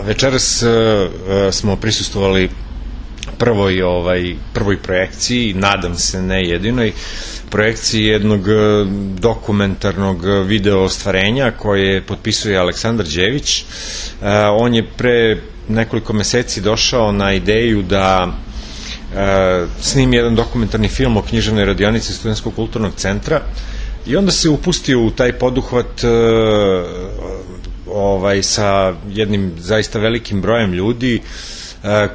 Večeras smo prisustvovali prvoj projekciji, nadam se ne jedinoj, projekciji jednog dokumentarnog video ostvarenja koje potpisuje Aleksandar Đević. On je pre nekoliko meseci došao na ideju da snimi jedan dokumentarni film o književnoj radionici Studentskog kulturnog centra i onda se upustio u taj poduhvat sa jednim zaista velikim brojem ljudi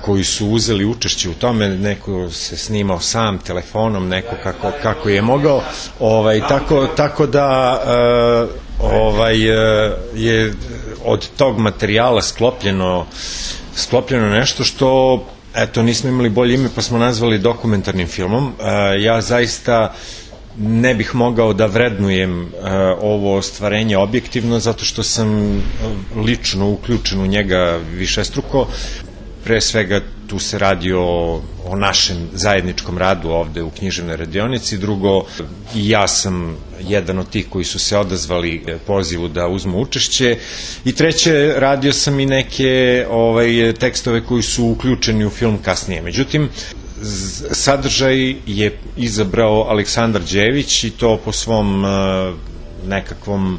koji su uzeli učešće u tome. Neko se snimao sam telefonom, neko kako je mogao, tako da je od tog materijala sklopljeno nešto što, eto, nismo imali bolje ime pa smo nazvali dokumentarnim filmom. Ja zaista ne bih mogao da vrednujem ovo ostvarenje objektivno, zato što sam lično uključen u njega višestruko. Pre svega tu se radi o našem zajedničkom radu ovde u književnoj radionici. Drugo, i ja sam jedan od tih koji su se odazvali pozivu da uzmu učešće. I treće, radio sam i neke tekstove koji su uključeni u film kasnije. Međutim, sadržaj je izabrao Aleksandar Đević i to po svom nekakvom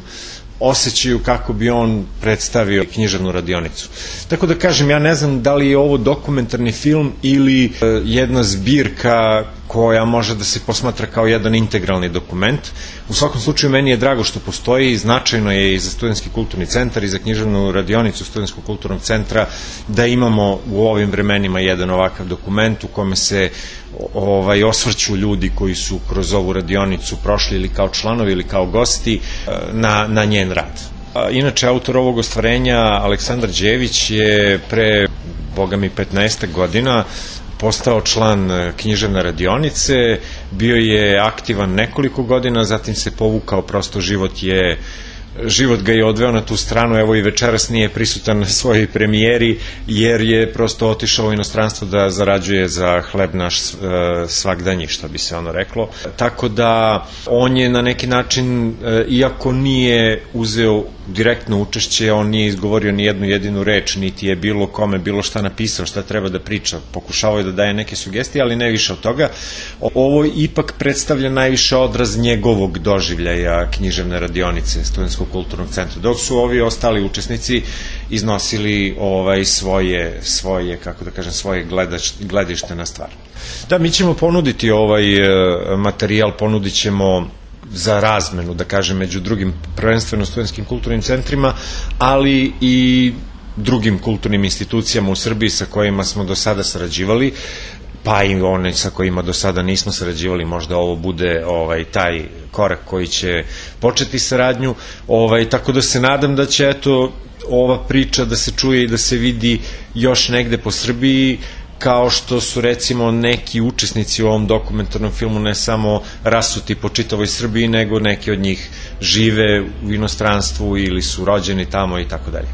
osjećaju kako bi on predstavio književnu radionicu. Tako da kažem, ja ne znam da li je ovo dokumentarni film ili jedna zbirka koja može da se posmatra kao jedan integralni dokument. U svakom slučaju, meni je drago što postoji, značajno je i za Studentski kulturni centar i za književnu radionicu Studentskog kulturnog centra da imamo u ovim vremenima jedan ovakav dokument u kome se osvrću ljudi koji su kroz ovu radionicu prošli ili kao članovi ili kao gosti na njen rad. Inače, autor ovog ostvarenja, Aleksandar Đević, je pre, boga mi, 15 godina postao član književne radionice, bio je aktivan nekoliko godina, zatim se povukao, prosto život ga je odveo na tu stranu. Evo i večeras nije prisutan na svojoj premijeri jer je prosto otišao u inostranstvo da zarađuje za hleb naš svagdanji, što bi se ono reklo. Tako da on je na neki način, iako nije uzeo direktno učešće, on nije izgovorio ni jednu jedinu reč, niti je bilo kome bilo šta napisao, šta treba da priča. Pokušavao je da daje neke sugestije, ali ne više od toga. Ovo ipak predstavlja najviše odraz njegovog doživljaja književne radionice Studentskog kulturnog centra, dok su ovi ostali učesnici iznosili svoje, kako da kažem, svoje gledište na stvar. Da, mi ćemo ponuditi ovaj materijal, ponudit ćemo za razmenu, da kažem, među drugim prvenstveno studentskim kulturnim centrima, ali i drugim kulturnim institucijama u Srbiji sa kojima smo do sada sarađivali, pa i one sa kojima do sada nismo sarađivali. Možda ovo bude taj korak koji će početi saradnju, tako da se nadam da će, eto, ova priča da se čuje i da se vidi još negde po Srbiji, kao što su, recimo, neki učesnici u ovom dokumentarnom filmu ne samo rasuti po čitavoj Srbiji, nego neki od njih žive u inostranstvu ili su rođeni tamo i tako dalje.